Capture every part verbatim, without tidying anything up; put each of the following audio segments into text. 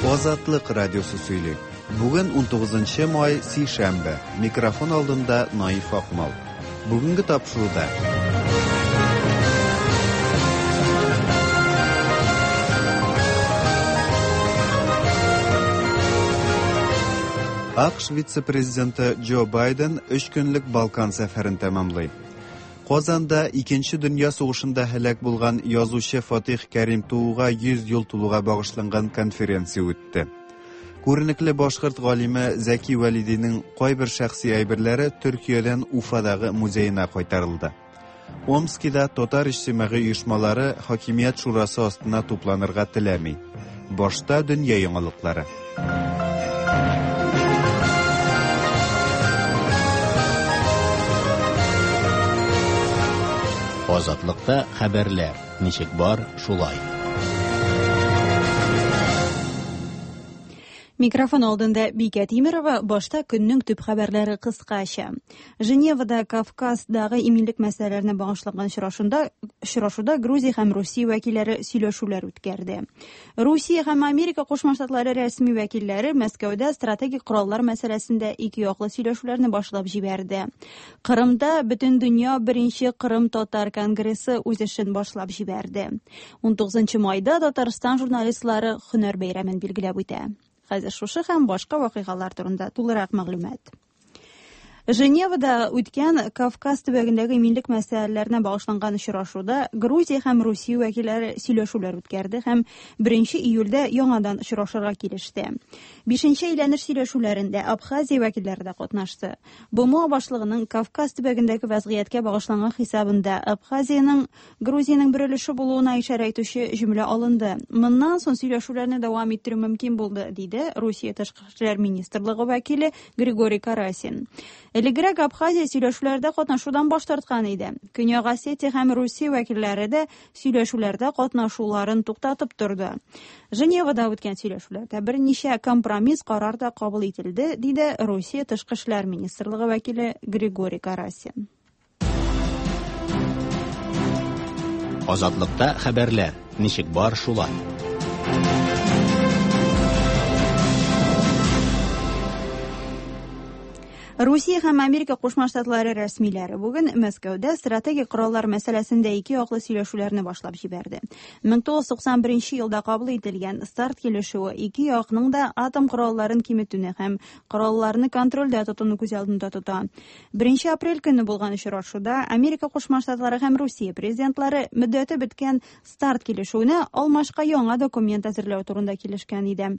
Азатлык радиосы сөйли. Бүген унтугызынчы май, сишәмбе. Микрофон алдында Наиф Акмал. Бүгенге тапшыруда А К Ш вице-президенты Джо Байден өч көнлек Балкан сәфәрен тәмамлый. Казанда Икенче дөнья сугышында һәлак булган язучы Фатих Кәрим тууга йөз ел тулуга багышланган конференция үтте. Күренекле башкорт галиме Зәки Вәлидинең кайбер шәхси әйберләре Төркиядән Уфадагы музеена кайтарылды. Омскида татар иҗтимагый оешмалары хакимият шурасы астына тупланырга теләми. Башта дөнья яңалыклары. Азатлыкта хәбәрләр ничек бар, шулай. Микрофон алдында Бикә Тимерова. Башта көннең төп хәбәрләре кыскача. Женевада Кавказдагы иминлек мәсьәләләренә багышланган очрашуда, очрашуда Грузия һәм Русия вәкилләре сөйләшүләр үткәрде. Русия һәм Америка Кушма Штатлары рәсми вәкилләре Мәскәүдә стратегик кораллар мәсьәләсендә ике яклы сөйләшүләрне башлап җибәрде. Кырымда Бөтендөнья беренче Кырым татар конгрессы үз эшен башлап җибәрде. Унтугызынчы майда Татарстан журналистлары һөнәр бәйрәмен билгеләп үтә. Хәзер шушы һәм башка вакыйгалар турында тулырак мәгълүмат. Женевада үткән Кавказ төбәгендәге иминлек мәсьәләләренә багышланган очрашуда Грузия һәм Русия вәкилләре сөйләшүләр үткәрде һәм беренче июльдә яңадан очрашырга килеште. Бишенче әйләнеш сөйләшүләрендә Абхазия вәкилләре дә катнашты. Б М О башлыгының Кавказ төбәгендәге вазгыятькә багышланган хисабында Абхазиянең Грузиянең бер өлеше булуына ишарә итүче җөмлә алынды. Моннан соң сөйләшүләрне дәвам иттерү мөмкин булды, диде Русия тышкы эшләр министрлыгы вәкиле Григорий Карасин. Элегрәк Абхазия сөйләшүләрдә катнашудан баш тарткан иде. Көньяк Осетия һәм Русия вәкилләре дә сөйләшүләрдә катнашуларын туктатып торды. Женевада үткән сөйләшүләрдә берничә компромисс карар да кабул ителде, диде Русия тышкы эшләр министрлыгы вәкиле Григорий Карасин. Азатлыкта хәбәрләр ничек бар, шулай. Русия һәм Америка Кушма Штатлары рәсмиләре бүген Мәскәүдә стратегик кораллар мәсьәләсендә ике яклы сөйләшүләрне башлап җибәрде. Мең тугыз йөз туксан беренче елда кабул ителгән старт килешүе ике якның да атом коралларын киметүне һәм коралларны контрольдә тотуны күз алдында тота. Беренче апрель көне булган очрашуда Америка Кушма Штатлары һәм Русия президентлары мөддәте беткән старт килешүенә алмашка яңа документ әзерләү турында килешкән иде.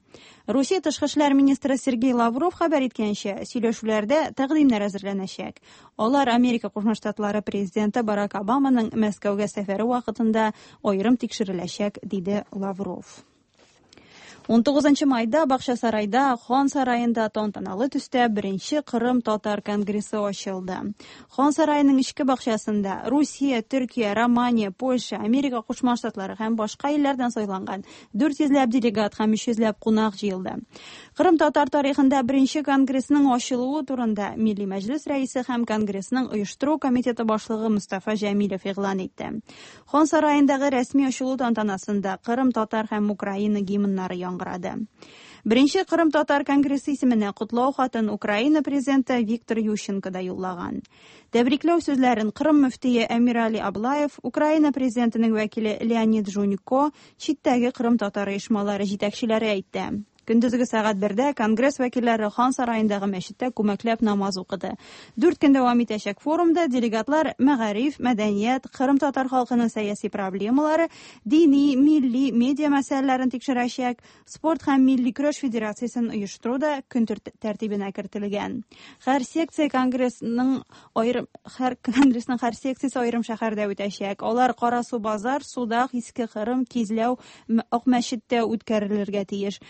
Русия тышкы эшләр министры Сергей Лавров хәбәр иткәнчә, сөйләшүләрдә тәкъдимнәр әзерләнәчәк. Алар Америка Кушма Штатлары президенты Барак Обаманың Мәскәүгә сәфәре вакытында аерым тикшереләчәк, диде Лавров. Унтугызынчы майда Бакчасарайда Хан сараенда тантаналы төстә беренче Кырым татар конгрессы ачылды. Хан сараеның эчке бакчасында Русия, Төркия, Романия, Польша, Америка Кушма Штатлары һәм башка илләрдән сайланган дүрт йөзләп делегат һәм өч йөзләп кунак җыелды. Кырым татар тарихында беренче конгрессның ачылуы турында Милли Мәҗлес рәисе һәм конгрессның оештыру комитеты башлыгы Мустафа Җәмилев игълан итте. Хан сараендагы рәсми ачылу тантанасында Кырым татар һәм Украина гимннары яңгырады. Беренче Кырым татар конгрессы исеменә котлау хатын Украина президенты Виктор Ющенко да юллаган. Тәбрикләү сүзләрен Кырым мөфтие Әмирали Аблаев, Украина президентының вәкиле Леонид Жунько, читтәге Кырым татар оешмалары җитәкчеләре әйтте. Көндезге сәгать бердә конгресс вәкилләре Хан сараендагы мәчеттә күмәкләп намаз укыды. Дүрт көн дәвам итәчәк форумда делегатлар мәгариф, мәдәният, Кырым татар халкының сәяси проблемалары, дини, милли, медиа мәсьәләләрен тикшерәчәк, спорт һәм милли көрәш федерациясен оештыру да көн тәртибенә кертелгән. Һәр секция конгрессның аерым, һәр конгрессның һәр секциясе аерым шәһәрдә үтәчәк. Алар Карасу базар, Судак, Иске Кырым, Кизләү, Акмәчеттә үткәрелергә тиеш.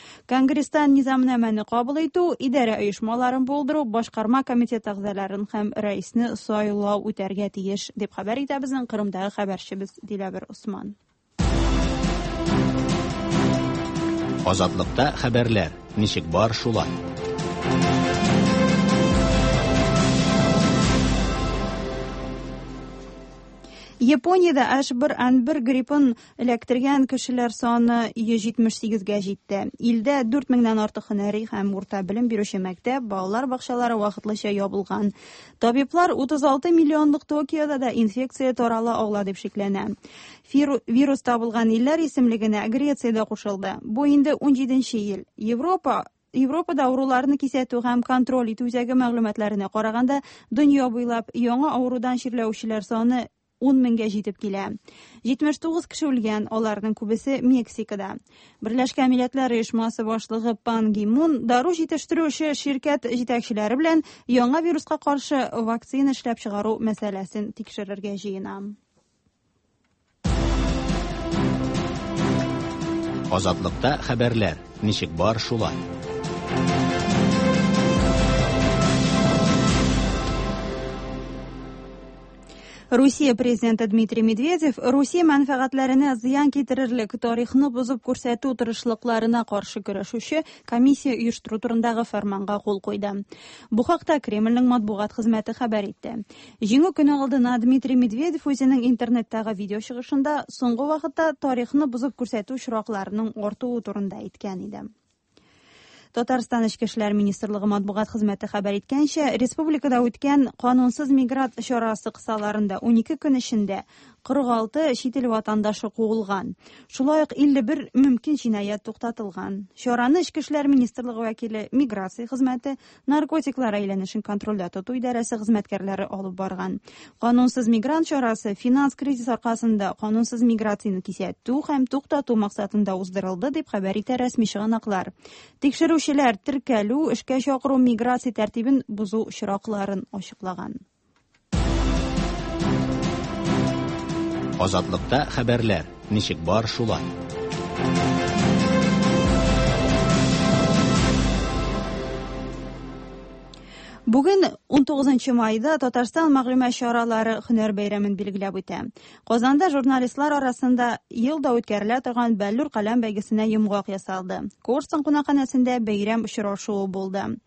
Конгресста низамнамәне кабул итү, идарә оешмаларын булдыру, башкарма комитет әгъзаларын һәм рәисне сайлау үтәргә тиеш, дип хәбәр итә безнең Кырымдагы хәбәрчебез Диләвер Усман. Азатлыкта хәбәрләр ничек бар, шулай. Япониядә H бер N бер гриппын эләктергән кешеләр саны йөз җитмеш сигезгә җитте. Илдә дүрт меңнән артык һөнәри һәм урта белем бирүче мәктәп, балалар бакчалары вакытлыча ябылган. Табиблар утыз алты миллионлык Токиода да инфекция тарала ала дип шикләнә. Вирус табылган илләр исемлегенә Греция дә кушылды. Бу инде ун җиденче ел. Европа Европада авыруларны кисәтү һәм контроль итү үзәге мәгълүматларына караганда, дөнья буйлап яңа авырудан чирләүчеләр саны ун меңгә җитеп килә. Җитмеш тугыз кеше үлгән, аларның күбесе Мексикада. Берләшкән Милләтләр Оешмасы башлыгы Пан Ги Мун дару җитештерүче ширкәт җитәкчеләре белән яңа вируска каршы вакцина эшләп чыгару мәсьәләсен тикшерергә җыена. Азатлыкта хәбәрләр ничек бар шулай. Русия президенты Дмитрий Медведев Русия мәнфәгатьләренә зыян китерерлек тарихны бозып күрсәтү тырышлыкларына каршы көрәшүче комиссия оештыру турындагы фәрманга кул куйды. Бу хакта Кремльнең матбугат хезмәте хәбәр итте. Җиңү көне алдына Дмитрий Медведев үзенең интернеттагы видео чыгышында соңгы вакытта тарихны бозып күрсәтү очракларының артуы турында әйткән иде. Татарстан Эчке эшләр министрлыгы матбугат хезмәте хәбәр иткәнчә, республикада үткән канунсыз мигрант чарасы кысаларында ун ике көн эчендә кырык алты чит ил ватандашы куылган. Шулай ук илле бер мөмкин җинаять туктатылган. Чараны Эчке эшләр министрлыгы вәкиле, миграция хезмәте, наркотиклар әйләнешен контрольдә тоту идарәсе хезмәткәрләре алып барган. Канунсыз мигрант чарасы финанс кризис аркасында канунсыз миграцияне кисәтү һәм туктату максатында уздырылды, дип хәбәр итә рәсми чыганаклар. Тикшерүчеләр теркәлү, эшкә чакыру, миграция тәртибен бозу очракларын ачыклаган. Азатлыкта хәбәрләр ничек бар шулай. Бүген ун тугызынчы майда Татарстан мәгълүмат чаралары һөнәр бәйрәмен билгеләп үтә. Казанда журналистлар арасында елда үткәрелә торган Бәллүр каләм бәйгесенә йомгак ясалды. Корстон кунакханәсендә бәйрәм очрашуы булды.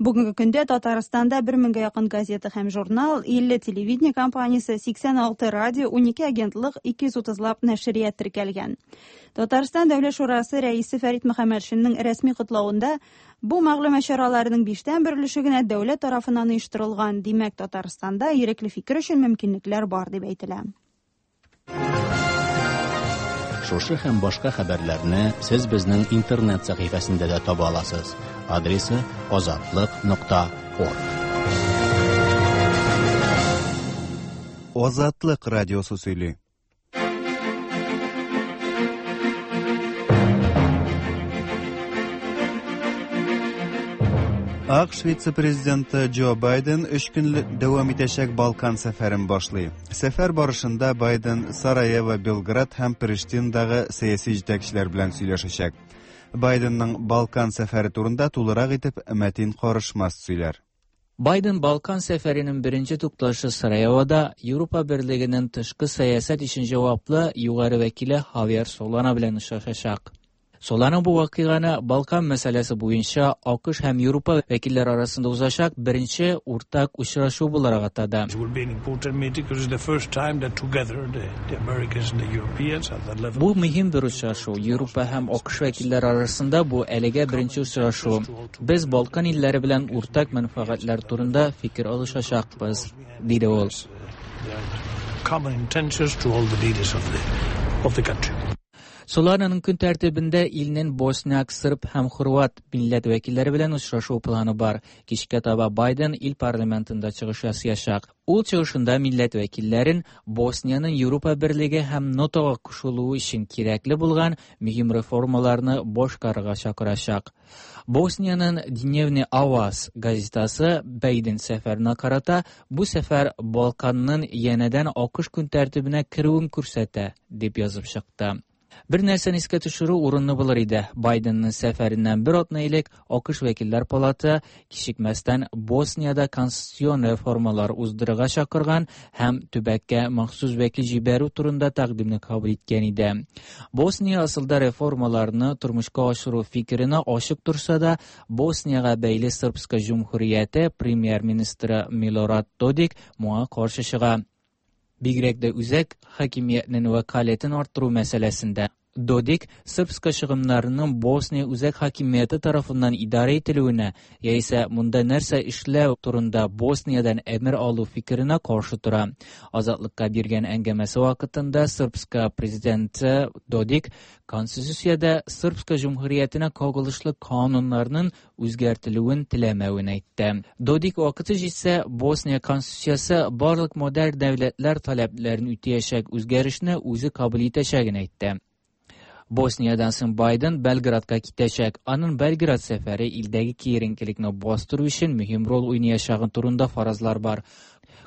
Бүгенге көндә Татарстанда бер меңгә якын газета һәм журнал, илле телевидение компаниясе, сиксән алты радио, унике агентлык, ике йөз утызлап нәшрият теркәлгән. Татарстан Дәүләт Шурасы рәисе Фәрит Мөхәммәтшинның рәсми котлавында бу мәгълүмат чараларының биштән бер өлеше генә дәүләт тарафыннан оештырылган, димәк, Татарстанда ирекле фикер өчен мөмкинлекләр бар дип әйтелә. Шушы һәм башка хәбәрләрне сез безнең интернет сәхифәсендә дә таба аласыз. Адресы азатлык нокта орг. Азатлык радиосы сөйли. АКШ вице-президенты Джо Байден өч көн дәвам итәчәк Балкан сәфәрен башлый. Сәфәр барышында Байден Сараево, Белград һәм Приштиндагы сәяси җитәкчеләр белән сөйләшәчәк. Байденның Балкан сәфәре турында тулырак итеп Мәтин Карышмас сөйләр. Байден Балкан сәфәренең беренче тукталышы Сараевода Европа Берлегенең тышкы сәясәт өчен җаваплы югары вәкиле Хавьер Солана белән очрашачак. Солана бу вакыйганы Балкан мәсьәләсе буенча АКШ һәм Европа вәкилләре арасында узачак беренче уртак очрашу буларак атады. Бу мөһим бер очрашу. Европа һәм АКШ вәкилләре арасында бу әлегә беренче очрашу. Без Балкан илләре белән уртак мәнфәгатьләр турында фикер алышачакбыз, диде ул. Солананың көн тәртибендә илнең босняк, сырб һәм хорват милләт вәкилләре белән очрашу планы бар. Кичкә таба Байден ил парламентында чыгыш ясаячак. Ул чыгышында милләт вәкилләрен Босниянең Европа Берлеге һәм НАТОга кушылуы өчен кирәкле булган мөһим реформаларны башкарырга чакырачак. Босниянең Дневный Аваз газетасы Байден сәфәренә карата бу сәфәр Балканның янәдән АКШ көн тәртибенә керүен күрсәтә, дип язып чыкты. Бер нәрсәне искә төшерү урынлы булыр иде. Байденның сәфәреннән бер атна элек АКШ вәкилләр палаты кичекмәстән Босниядә конституцион реформалар уздырырга чакырган һәм төбәккә махсус вәкил җибәрү турында тәкъдимне кабул иткән иде. Босния асылда реформаларны тормышка ашыру фикеренә ачык торса да, Босниягә бәйле Српска җөмһүрияте премьер-министры Милорад Додик моңа каршы чыга. Бигрәк тә үзәк хакимиятнең вәкаләтен арттыру мәсьәләсендә. Додик Српска чыгымнарының Босния үзәк хакимияте тарафыннан идарә ителүенә яисә монда нәрсә эшләү турында Босниядән әмер алу фикеренә каршы тора. Азатлыкка биргән әңгәмәсе вакытында Српска президенты Додик Конституциядә Српска җөмһүриятенә кагылышлы кануннарның үзгәртелүен теләмәвен әйтте. Додик вакыты җитсә, Босния конституциясе барлык модерн дәүләтләр таләпләрен үтәячәк үзгәрешне үзе кабул итәчәген әйтте. Босниядән соң Байден Белградка китәчәк. Аның Белград сәфәре илдәге киеренкелекне бастыру өчен мөһим роль уйнаячагы турында фаразлар бар.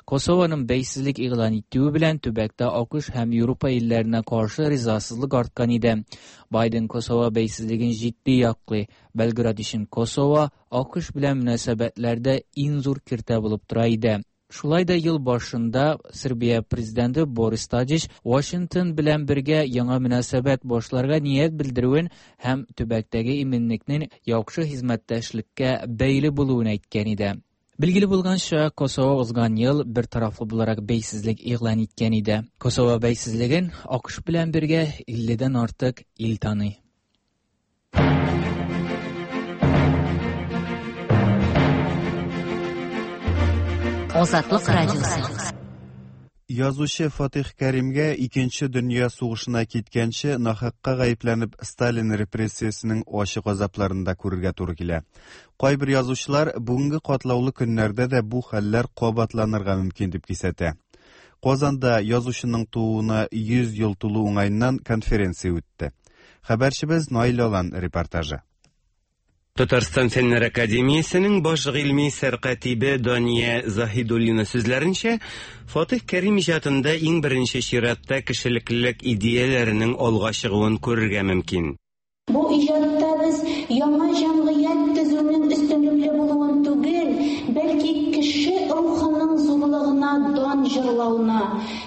Косованың бәйсезлек игълан итүе белән төбәктә АКШ һәм Европа илләренә каршы ризасызлык арткан иде. Байден Косово бәйсезлеген җитди яклый. Белград өчен Косово АКШ белән мөнәсәбәтләрдә иң зур киртә булып тора иде. Шулай да ел башында Сербия президенты Борис Тадич Вашингтон белән бергә яңа мөнәсәбәт башларга ният белдерүен һәм төбәктәге иминлекнең яхшы хезмәттәшлеккә бәйле булуын әйткән иде. Билгеле булганча, Косово узган ел бер тарафлы буларак бәйсезлек игълан иткән иде. Косово бәйсезлеген АКШ белән бергә илледән артык ил таный. Азатлык радиосы. Язучы Фатих Кәримгә Икенче дөнья сугышына киткәнче нахакка гаепләнеп Сталин репрессиясенең ачы газапларын да күрергә туры килә. Кайбер язучылар бүгенге катлаулы көннәрдә дә бу хәлләр кабатланырга мөмкин дип кисәтә. Казанда язучының тууына йөз ел тулу уңаеннан конференция үтте. Хәбәрчебез Наил Алан репортажы. Татарстан Фәннәр Академиясенең баш гыйльми сәркатибе Дания Заһидуллина сүзләренчә, Фатих Кәрим иҗатында иң беренче чиратта кешелеклелек идеяләренең алга чыгуын күрергә мөмкин. Бу иҗатта без яңа җәмгыять төзүнең өстенлекле булуын түгел, бәлки кеше рухының зурлыгына дан җырлауны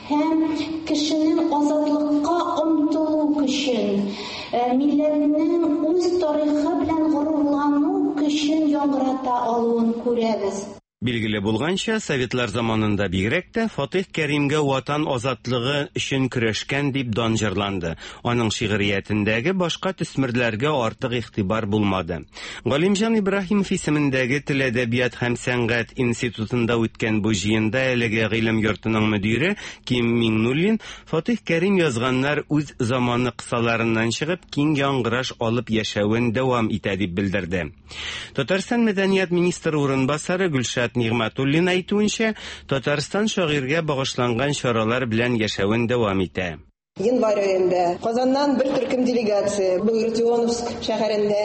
һәм кешенең азатлыкка омтылу көчен, милләтнең үз тарихы белән горурлану көчен яңгырата алуын күрәбез. Билгеле булганча, Советлар заманында бигрәк тә Фатих Кәримгә ватан азатлыгы өчен көрәшкән дип дан җырланды. Аның шигъриятендәге башка төсмерләргә артык игътибар булмады. Галимҗан Ибраһимов исемендәге Тел, әдәбият һәм сәнгать институтында үткән бу җыенда әлеге гыйлем йортының мөдире Ким Миңнуллин Фатих Кәрим язганнар үз заманы кысаларыннан чыгып киң яңгыраш алып яшәвен дәвам итә дип белдерде. Татарстан мәдәният министры урынбасары Гөлшат Нигъмәтуллина әйтүенчә, Татарстан шагыйрьгә багышланган чаралар белән яшәвен дәвам итә. Январь аенда Казаннан бер төркем делегация Багратионовск шәһәрендә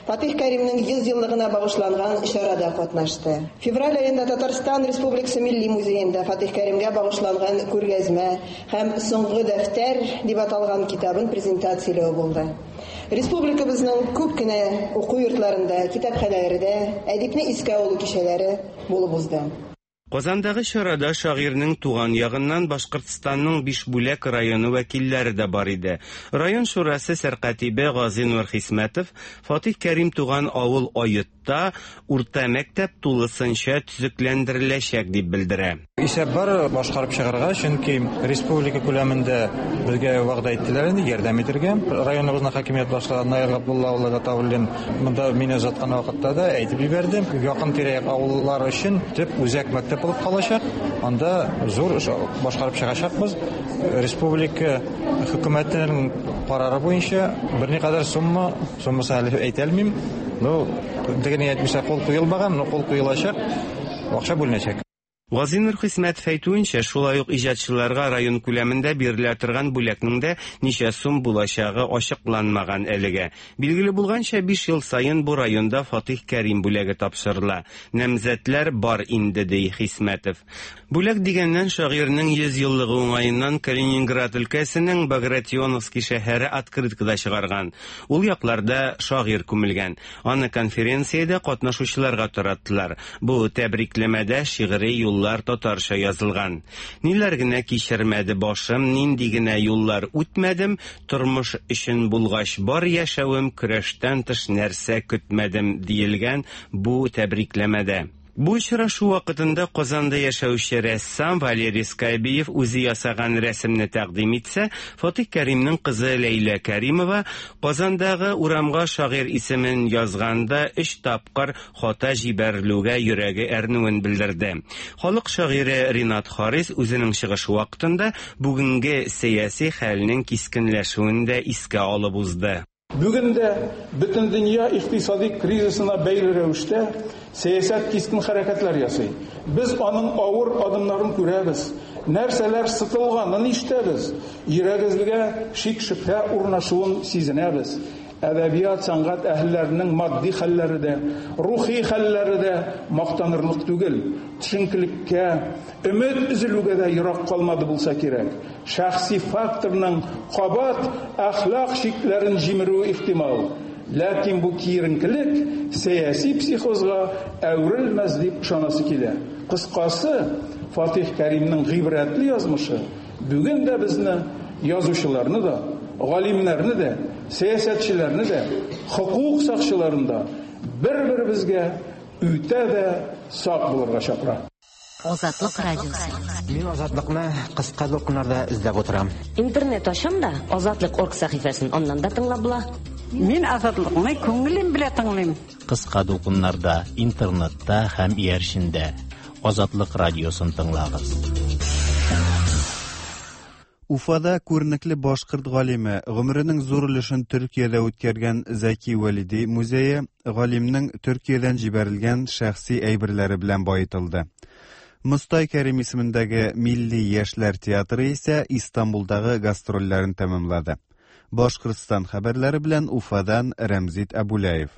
Фатих Кәримнең йөз еллыгына багышланган чарада катнашты. Февраль аенда Татарстан Республикасы Милли музеенда Фатих Кәримгә багышланган күргәзмә һәм Соңгы дәфтәр дип аталган китабын презентацияләү булды. Республикабызның күп кенә уку йортларында, китапханәләрдә әдипне искә алу кичәләре булып узды. Казандагы чарада шагыйрьнең туган ягыннан Башкортстанның Бишбүләк районы вәкилләре дә бар иде. Район шурасы сәркатибе Газинур Хисмәтов Фатих Кәрим туган авыл Айытта урта мәктәп тулысынча төзекләндереләчәк дип белдерә. Исәп бар башкарып чыгарга, чөнки республика күләмендә безгә вәгъдә иттеләр инде ярдәм итәргә. Районыбызның хакимият башлыгы Наил Габдулла улы Гатауллин монда мине озаткан вакытта да әйтеп җибәрде. Якын тирә-як авыллар өчен төп үзәк мәктәп булып калачак. Анда зур эш башкарып чыгачакбыз. Республика хөкүмәтенең карары буенча берникадәр сумма, суммасын әле әйтә алмыйм. Ну, дигән әйтмичә кул куелмаган, но кул куелачак, акча бүленәчәк. Газинур Хисмәтов әйтүенчә, шулай ук иҗатчыларга район күләмендә бирелә торган бүләкнең дә ничә сум булачагы ачыкланмаган әлегә. Билгеле булганча, биш ел саен бу районда Фатих Кәрим бүләге тапшырыла. Намзәтләр бар инде, ди Хисмәтов. Бүләк дигәннән, шагыйрьнең йөз еллыгы уңаеннан Калининград өлкәсенең Багратионовский шәһәре открыткада чыгарган. Ул якларда шагыйрь күмелгән. Аны конференциядә катнашучыларга тараттылар. Бу тәбрикләмәдә шигъри юллар татарча язылган. Ниләр генә кичермәде башым, нинди генә юллар үтмәдем, тормыш өчен булгач бар яшәвем, көрәштән тыш нәрсә көтмәдем, диелгән бу тәбрикләмәдә. Бу очрашу вакытында Казанда яшәүче рәссам Валерий Скайбиев үзе ясаган рәсемне тәкъдим итсә, Фатих Кәримнең кызы Ләйлә Кәримова Казандагы урамга шагыйрь исемен язганда өч тапкыр хата җибәрелүгә йөрәге әрнүен белдерде. Халык шагыйре Ринат Харис үзенең чыгышы вакытында бүгенге сәяси хәлнең кискенләшүен дә искә алып узды. Бүген дә бөтен дөнья икътисади кризисына бәйле рәвештә сәясәт кискен хәрәкәтләр ясый. Без аның авыр адымнарын күрәбез. Нәрсәләр сытылганын ишетәбез. Йөрәгебезгә шик-шөбһә урнашуын сизенәбез. Әдәбият, сәнгать әһелләренең матди хәлләре дә, рухи хәлләре дә мактанырлык түгел. Төшенкелеккә, өмет өзелүгә дә ерак калмады булса кирәк. Шәхси факторның кабат әхлак чикләрен җимерүе ихтимал. Ләкин бу киеренкелек сәяси психозга әверелмәс дип ышанасы килә. Кыскасы, Фатих Кәримнең гыйбрәтле язмышы бүген дә безне, язучыларны да, галимнәрне дә, сәясәтчеләрне дә, хокук сакчыларын да бер-беребезгә үтә дә сак булырга чакыра. Азатлык радиосы. Мин Азатлыкны кыска дулкыннарда эзләп утырам. Интернет ачам да Азатлык орг сәхифәсен аннан да тыңлап була. Мин Азатлыкны күңелем белән тыңлыйм. Кыска дулкыннарда, интернетта һәм иярчендә Азатлык радиосын тыңлагыз. Уфада күренекле башкорт галиме, гомеренең зур өлешен Төркиядә үткәргән Зәки Вәлиди музее галимнең Төркиядән җибәрелгән шәхси әйберләре белән баетылды. Мостай Кәрим исемендәге Милли яшьләр театры исә Истанбулдагы гастрольләрен тәмамлады. Башкортстан хәбәрләре белән Уфадан Рәмзит Абулаев.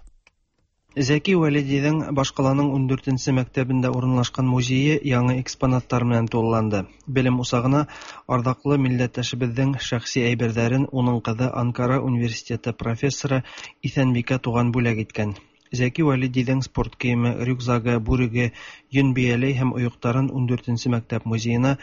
Зәки Вәлидиҙең башҡаланың ун дүртенсе мәктәбендә урынлашҡан музейы яңы экспонаттар менән тулыланды. Белем усағына арҙаҡлы милләттәшебеҙҙең шәхси әйберҙәрен уның ҡыҙы Анкара университеты профессоры Иҫәнбикә Туған бүләк иткән. Зәки Вәлидиҙең спорт кейеме, рюкзагы, бүреге, йөн бейәләй һәм ойоҡтарын ун дүртенсе мәктәп музейына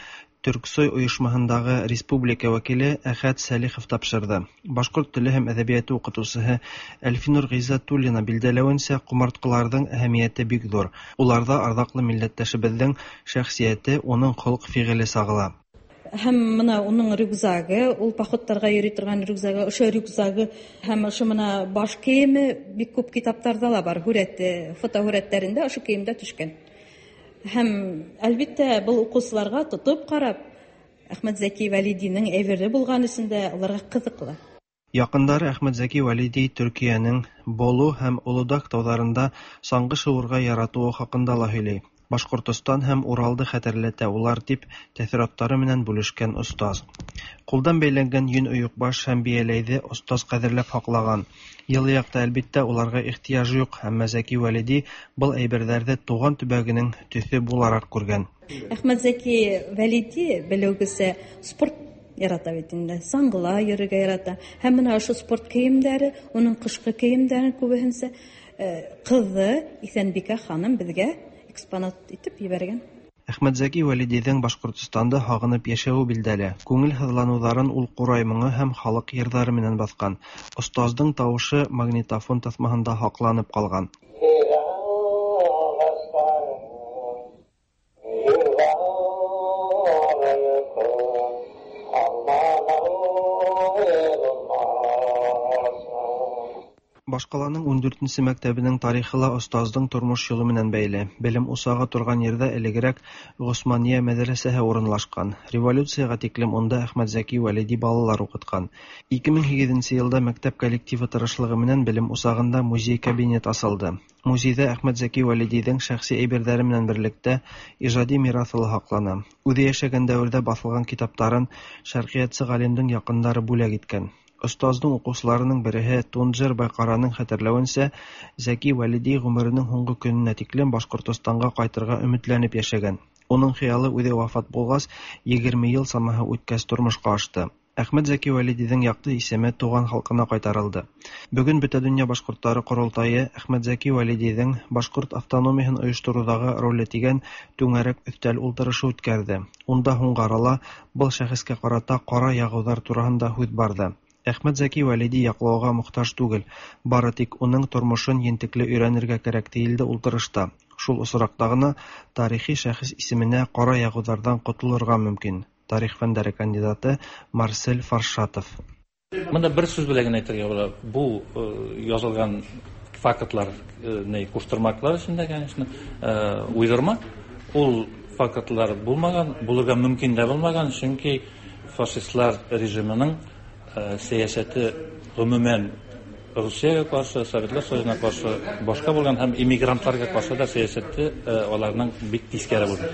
Төрксой ойошмаһындағы республика вәкиле Әхәт Сәлихов тапшырҙы. Башҡорт теле һәм әҙәбиәте уҡытыусыһы Әлфинур Ғиззәтуллина билдәләүенсә, ҡомартҡыларҙың әһәмиәте бик ҙур. Уларҙа арҙаҡлы милләттәшебеҙҙең шәхсиәте, уның холоҡ-фиғеле сағыла. Һәм мына уның рюкзагы, ул походтарға йөрөй торған рюкзагы, ошо рюкзагы һәм ошо мына баш кейеме бик күп китаптарҙа ла бар, һүрәте, фотоһүрәттәрендә ошо кейемдә төшкән. Һәм әлбиттә был уҡыусыларға тотоп ҡарап Әхмәт Зәки Вәлидиның әйбере булған өсөн дә уларға ҡыҙыҡлы. Яҡындары Әхмәт Зәки Вәлиди Төркиәнең Болу һәм Улудаҡ тауҙарында саңғы шыуырға яратыуы хаҡында ла һөйләй. Башҡортостан һәм Уралды хәтерләтә улар тип тәьҫораттары менән бүлешкән остаз. Ҡулдан бәйләнгән йөн ойоҡбаш һәм бейәләйҙе остаз ҡәҙерләп һаҡлаған. Йылы яҡта әлбиттә уларға ихтыяж юҡ, әммә Зәки Вәлиди был әйберҙәрҙе тыуған төбәгенең төҫө булараҡ күргән. Әхмәт Зәки Вәлиди белеүгесә спорт ярата бит инде, саңғыла йөрөргә ярата. Һәм мына ошо спорт кейемдәре, уның ҡышҡы кейемдәрен күбеһенсә ҡыҙы Иҫәнбикә ханым беҙгә экспонат итеп ебәргән. Әхмәт Зәки Вәлидиҙең Башҡортостанды һағынып йәшәүе билдәле. Күңел һыҙланыуҙарын ул ҡурай моңо һәм халыҡ йырҙары менән баҫҡан. Остаздың тауышы магнитофон таҫмаһында һаҡланып ҡалған. Башҡаланың ун дүртенсе мәктәбенең тарихы ла остаздың тормош юлы менән бәйле. Белем усағы торған ерҙә элегерәк Ғосмания мәҙрәсәһе урынлашҡан. Революцияға тиклем унда Әхмәт Зәки Вәлиди балалар уҡытҡан. Ике мең һигеҙенсе йылда мәктәп коллективы тырышлығы менән белем усағында музей кабинет асылды. Музейҙа Әхмәт Зәки Вәлидиҙең шәхси әйберҙәре менән берлектә ижади мираҫы ла һаҡлана. Үҙе йәшәгән дәүерҙә баҫылған китаптарын шәрҡиәтсе ғалимдың яҡындары бүләк иткән. Остаздың уҡыусыларының береһе Тунжер Байҡараның хәтерләүенсә, Зәки Вәлиди ғүмеренең һуңғы көнөнә тиклем Башҡортостанға ҡайтырға өмөтләнеп йәшәгән. Уның хыялы үҙе вафат булғас, егерме йыл самаһы үткәс тормошҡа ашты. Әхмәт Зәки Вәлидиҙең яҡты исеме туған халҡына ҡайтарылды. Бөгөн Бөтә донъя башҡорттары ҡоролтайы Әхмәт Зәки Вәлидиҙең башҡорт автономияһын ойоштороуҙағы роле тигән түңәрәк өҫтәл ултырышы үткәрҙе. Унда һуңғы арала был шәхескә ҡарата ҡара яғыуҙар тураһында һүҙ барҙы. Әхмәт Зәки Вәлиди яклауга мохтаҗ түгел, бары тик уның тормышын ентекле өйрәнергә кәрәк, диелде ултырышта. Шул осракта гына тарихи шәхес исеменә кара ягудардан котылырга мөмкин. Тарих фәннәре кандидаты Марсель Фаршатов. Монда бер сүз белән генә әйтергә була. Бу язылган фактлар, не куштырмаклар эчендә, конечно, уйдырма. Ул фактлар булмаган, булырга мөмкин дә булмаган, чөнки фашистлар режимының сәясәте гомумән Русиягә каршы, Советлар Союзына каршы башка булган һәм иммигрантларга каршы да сәясәте аларның бик тискәре булды.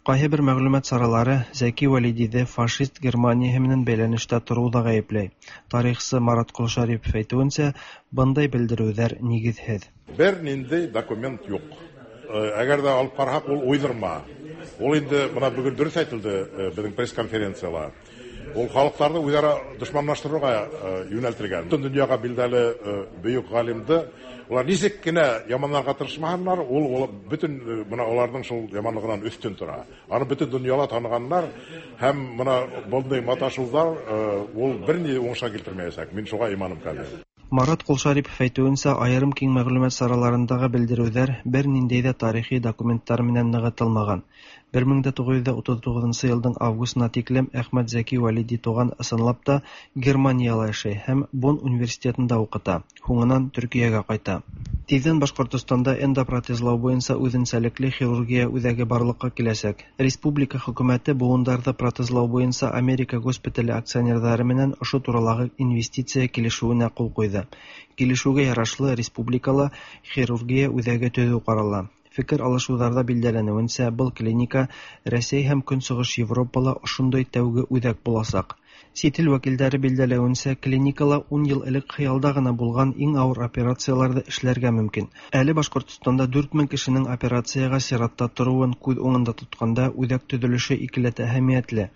Кайһы бер мәгълүмат чаралары Зәки Вәлидиде фашист Германияһе менән бәйләнештә торуда гаепләй. Тарихчы Марат Колшарипов әйтүенчә, бындай белдерүләр нигезһеҙ. Бер нинди документ юк. Әгәр дә алып караһак, ул уйдырма. Ул инде мына бүген дөрес әйтелде безнең пресс-конференцияла. Ул халыкларны үзара дошманлаштыруга юнәлтелгән. Бөтен дөньяга билгеле бөек галимде улар ничек кенә яманларга тырышмаганнар, ул бөтен мына аларның шул яманлыгынан өстен тора. Аны бөтен дөньяда таныганнар һәм мына bunday маташулар ул берни уңышка китермәячәк. Мин шуңа иманым камил. Марат Колшарипов әйтүенсә, айырым киң мәгълүмат сараларындагы белдерүләр бер ниндәй дә тарихи документтар менән ныгытылмаган. бер мең дә тугыз йөз утыз тугызынчы елдың августына тиклем Әхмәт Зәки Вәлиди туган ысынлап та Германияла яшәй һәм Бонн университетында укыта. Һуңынан Төркиягә кайта. Тиздән Башкортостанда эндопротезлау буенча үзенсәлекле хирургия үзәге барлыкка киләчәк. Республика хөкүмәте буындарҙы протезлау буенча Америка госпитале акционерҙары менән ошо туралағы инвестиция килешеүенә ҡул ҡуйҙы. Килешеүгә ярашлы республикала хирургия үҙәге төҙөү ҡарала. Фекер алышыуҙарҙа билдәләнеүенсә, был клиника Рәсәй һәм Көнсығыш Европала ошондай тәүге үҙәк буласаҡ. Сит ил вәкилдәре билдәләүенсә, клиникала ун йыл элек хыялда ғына булған иң ауыр операцияларҙы эшләргә мөмкин. Әле Башҡортостанда дүрт мең кешенең операцияға сиратта тороуын күҙ уңында тотҡанда үҙәк төҙөлөшө икеләтә әһәмиәтле.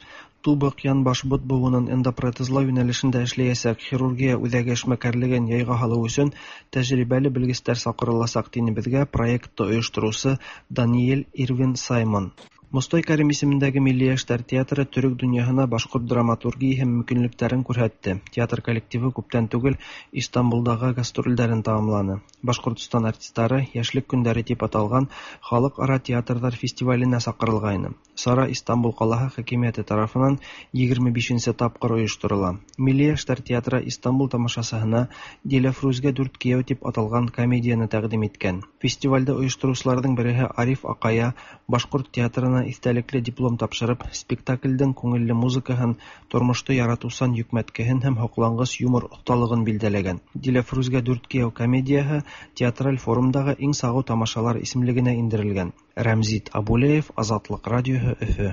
Тубыҡ, янбаш, бот быуынын эндопротезлау йүнәлешендә эшләйәсәк хирургия үҙәге эшмәкәрлеген яйға һалыу өсөн тәжрибәле белгестәр саҡырыласаҡ, тине беҙгә проектты ойоштороусы Даниэль Ирвин Саймон. Мостай Кәрим исемендәге Милли йәштәр театры төрөк донъяһына башҡорт драматургияһы мөмкинлектәрен күрһәтте. Театр коллективы күптән түгел Истанбулдағы гастролдәрен тамамланы. Башҡортостан артистары Йәшлек көндәре тип аталған халыҡ-ара театрҙар фестиваленә саҡырылғайны. Сара Истанбул ҡалаһы хакимиәте тарафынан егерме бишенсе тапҡыр ойошторола. Милли йәштәр театры Истанбул тамашасыһына Диләфрүзгә дүрт кейәү тип аталған комедияны тәҡдим иткән. Фестивалде ойоштороусыларҙың береһе Ариф Аҡая башҡорт театрына иҫтәлекле диплом тапшырып, спектаклдең күңелле музыкаһын, тормошто яратыусан йөкмәткеһен һәм һоҡланғыс юмор оҫталығын билдәләгән. Диләфрүзгә дүрт кейәү комедияһы театраль форумдағы иң сағыу тамашалар исемлегенә индерелгән. Рәмзит Абулеев, Азатлыҡ радиоһы, Өфө.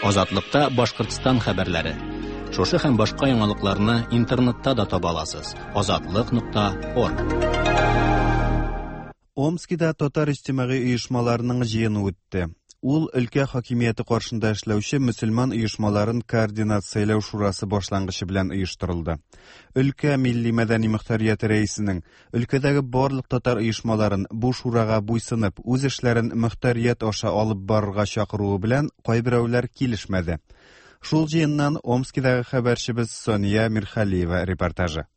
Азатлыҡта Башҡортостан хәбәрләре. Шушы һәм башҡа яңалыҡларны интернетта да таба аласыз. азатлык нуҡта орг. Омскида татар иҗтимагый оешмаларының җыены үтте. Ул өлкә хакимияте каршында эшләүче мөселман оешмаларын координацияләү шурасы башлангычы белән оештырылды. Өлкә милли мәдәни мөхтәрияте рәисенең өлкәдәге барлык татар оешмаларын бу шурага буйсынып, үз эшләрен мөхтәрият аша алып барырга чакыруы белән кайберәүләр килешмәде. Шул җыеннан Омскидагы хәбәрчебез Сония Мирхалиева репортажы.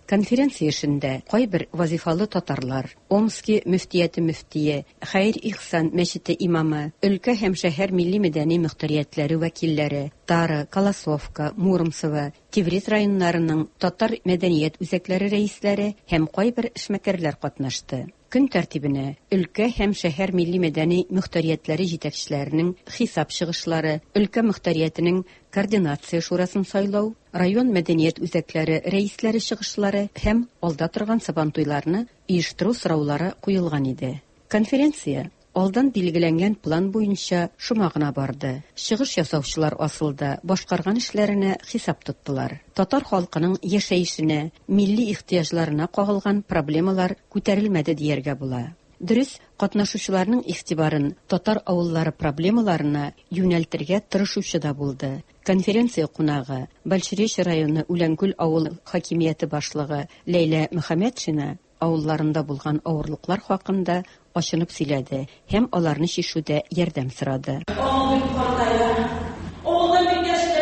Конференция эшендә кайбер вазифалы татарлар, Омски мөфтияте мөфтие, Хәйр Ихсан мәчете имамы, өлкә һәм шәһәр милли мәдәни мөхтәриятләре вәкилләре, Тара, Колосовка, Муромцево, Тевриз районнарының татар мәдәният үзәкләре рәисләре һәм кайбер эшмәкәрләр катнашты. Көн тәртибенә өлкә һәм шәһәр милли мәдәни мөхтәриятләре җитәкчеләренең хисап чыгышлары, өлкә мөхтәриятенең координация шурасын сайлау, район мәдәният үзәкләре рәисләре чыгышлары һәм алда торган сабантуйларны оештыру сораулары куелган иде. Конференция алдан билгеләнгән план буенча шома гына барды. Чыгыш ясаучылар асылда башкарган эшләренә хисап тоттылар. Татар халкының яшәешенә, милли ихтыяҗларына кагылган проблемалар күтәрелмәде дияргә була. Дөрес, катнашучыларның игътибарын татар авыллары проблемаларына юнәлтергә тырышучы да булды. Конференция кунагы Большеречье районы Үләнкүл авыл хакимияте башлыгы Ләйлә Мөхәммәтшина авылларында булган авырлыклар хакында ачынып сөйләде һәм аларны чишүдә ярдәм сорады. Авыл бик картая, авылда бик яшьләр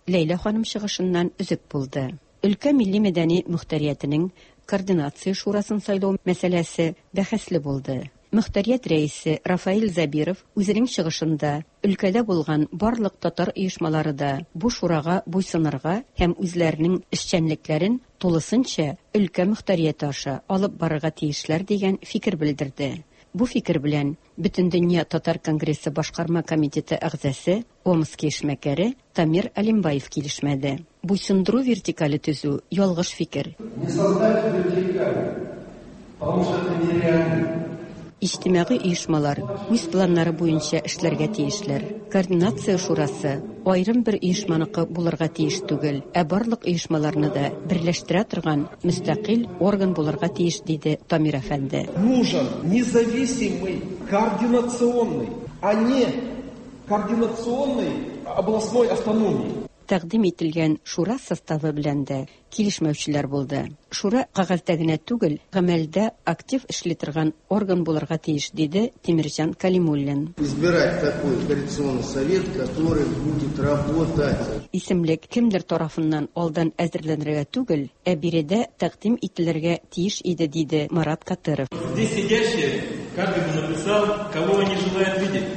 Ләйлә ханым чыгышыннан өзек булды. Өлкә милли мәдәни мөхтәриятенең координация шурасын сайлау мәсьәләсе бәхәсле булды. Мөхтәрият рәисе Рафаил Забиров үзенең чыгышында өлкәдә булган барлык татар оешмалары да бу шурага буйсынырга һәм үзләренең эшчәнлекләрен тулысынча өлкә мөхтәрияте аша алып барырга тиешләр дигән фикер белдерде. Бу фикер белән Бөтендөнья татар конгрессы башкарма комитеты әгъзасы Омски эшмәкәре Тамир Алимбаев килешмәде. Буйсындыру вертикале төзү ялгыш фикер. Не создать вертикаль, потому что это нереально. Иҗтимагый оешмалар үз планнары буенча эшләргә тиешләр. Координация шурасы аерым бер оешманыкы булырга тиеш түгел, ә барлык оешмаларны да берләштерә торган мөстәкыйль орган булырга тиеш, диде Тамир әфәнде. Нужен независимый координационный, а не координационный областной автономии. Тәкъдим ителгән шура составы белән дә килешмәүчеләр булды. Шура кәгазьдә генә түгел, гамәлдә актив эшли торган орган булырга тиеш, диде Тимирҗан Калимуллин. Избирать такой координационный совет, который будет работать. Исемлек кемдер тарафыннан алдан әзерләнергә түгел, ә биредә тәкъдим ителергә тиеш иде, диде Марат Катыров. Здесь сидящие, каждый бы написал, кого они желают видеть.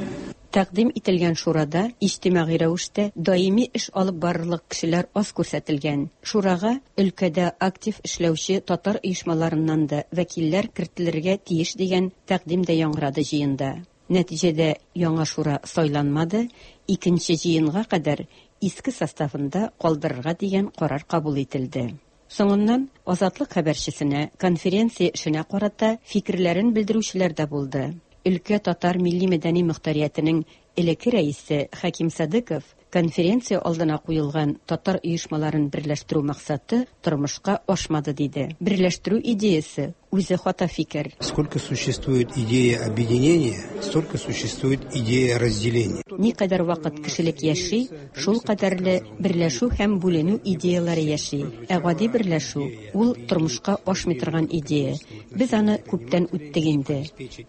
Тәкъдим ителгән шурада иҗтимагый рәвештә даими эш алып барырлык кешеләр аз күрсәтелгән. Шурага өлкәдә актив эшләүче татар оешмаларыннан да вәкилләр кертелергә тиеш дигән тәкъдим дә яңгырады җыенда. Нәтиҗәдә яңа шура сайланмады, икенче җыенга кадәр иске составында калдырырга дигән карар кабул ителде. Соңыннан Азатлык хәбәрчесенә конференция эшенә карата фикерләрен белдерүчеләр дә булды. Өлкә татар милли мәдәни мөхтәриятенең элекке рәисе Хәким Садыков конференция алдына куелган татар оешмаларын берләштерү максаты тормышка ашмады, диде. Берләштерү идеясы үзе хата фикер. Сколько существует идея объединения, столько существует идея разделения. Никадәр вакыт кешелек яши, шул кадәрле берләшү һәм бүленү идеялары яши. Ә гади берләшү ул тормышка ашмый торган идея. Без аны күптән үттек инде.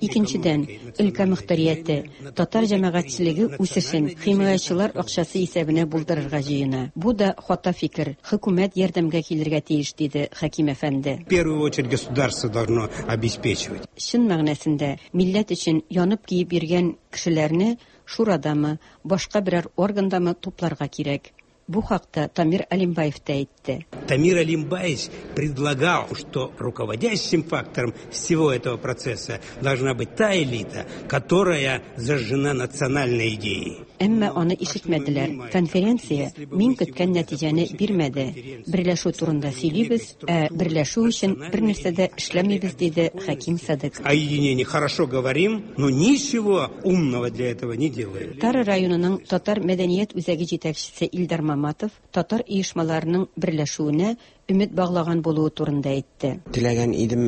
Икенчедән, өлкә мөхтәрияте татар җәмәгатьчелеге үсешен химаячылар акчасы исәбенә булдырырга җыена. Бу да хата фикер. Хөкүмәт ярдәмгә килергә тиеш, диде Хәким әфәнде. В первую очередь государство должно обеспечивать. Чын мәгънәсендә милләт өчен янып киеп йөргән кешеләрне шурадамы, башка берәр органдамы тупларга кирәк. Бу хакта Тамир Алимбаев та әйтте. Тамир Алимбаевич предлагал, что руководящим фактором всего этого процесса должна быть та элита, которая зажжена национальной идеей. Әмма аны ишетмәделәр. Конференция мин көткән нәтиҗәне бирмәде. Берләшү турында сөйлибез, ә берләшү өчен бер нәрсә дә эшләмибез, диде Хәким Садык. О единении хорошо говорим, но ничего умного для этого не делаем. Тара районының татар мәдәният үзәге җитәкчесе Илдар Маматов татар оешмаларының берләшүенә өмет баглаган булуы турында әйтте. Теләгән идем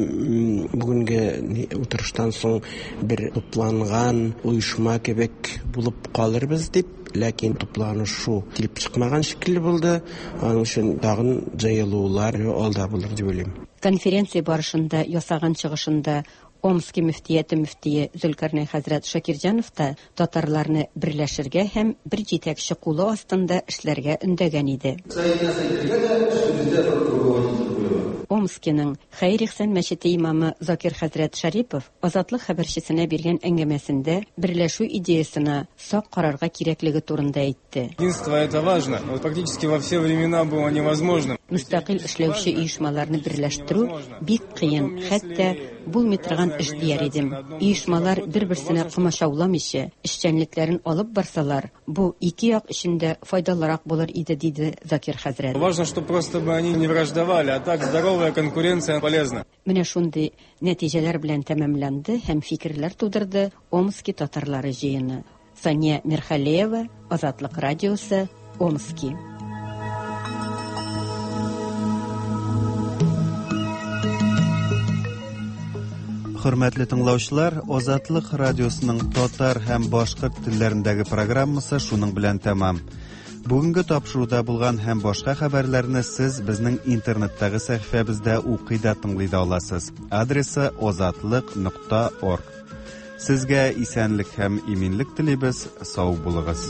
бүгенге утырыштан соң бер тупланган оешма кебек булып калырбыз дип, ләкин тупланышу килеп чыкмаган шикелле булды. Аның өчен тагын җыелулар алда булыр дип уйлыйм. Конференция барышында ясаган чыгышында Омски мөфтияте мөфтие Зөлкарнай хәзрәт Шакирҗанов та татарларны берләшергә һәм бер җитәкче кулы астында эшләргә өндәгән иде. Омскиның Хәйр-Ихсан мәчете имамы Закир хәзрәт Шарипов Азатлык хәбәрчесенә биргән әңгәмәсендә берләшү идеясына сак карарга кирәклеге турында әйтте. Единство это важно, но практически во все времена было невозможно. Мөстәкыйль эшләүче оешмаларны берләштерү бик кыен, хәтта булмый торган эш дияр идем. Оешмалар бер-берсенә комачауламыйча эшчәнлекләрен алып барсалар, бу ике як өчен дә файдалырак булыр иде, диде Закир хәзрәт. Важно, чтобы просто бы они не враждовали, а так здоровая конкуренция полезна. Менә шундый нәтиҗәләр белән тәмамланды һәм фикерләр тудырды Омски татарлары җыены. Сания Мирхалеева, Азатлык радиосы, Омски. Хөрмәтле тыңлаучылар, Азатлык радиосының татар һәм башкорт телләрендәге программасы шуның белән тәмам. Бүгенге тапшыруда булган һәм башка хәбәрләрне сез безнең интернеттагы сәхифәбездә укый да тыңлый да аласыз. Адресы озатлык нокта орг. Сезгә исәнлек һәм иминлек телибез, сау булыгыз.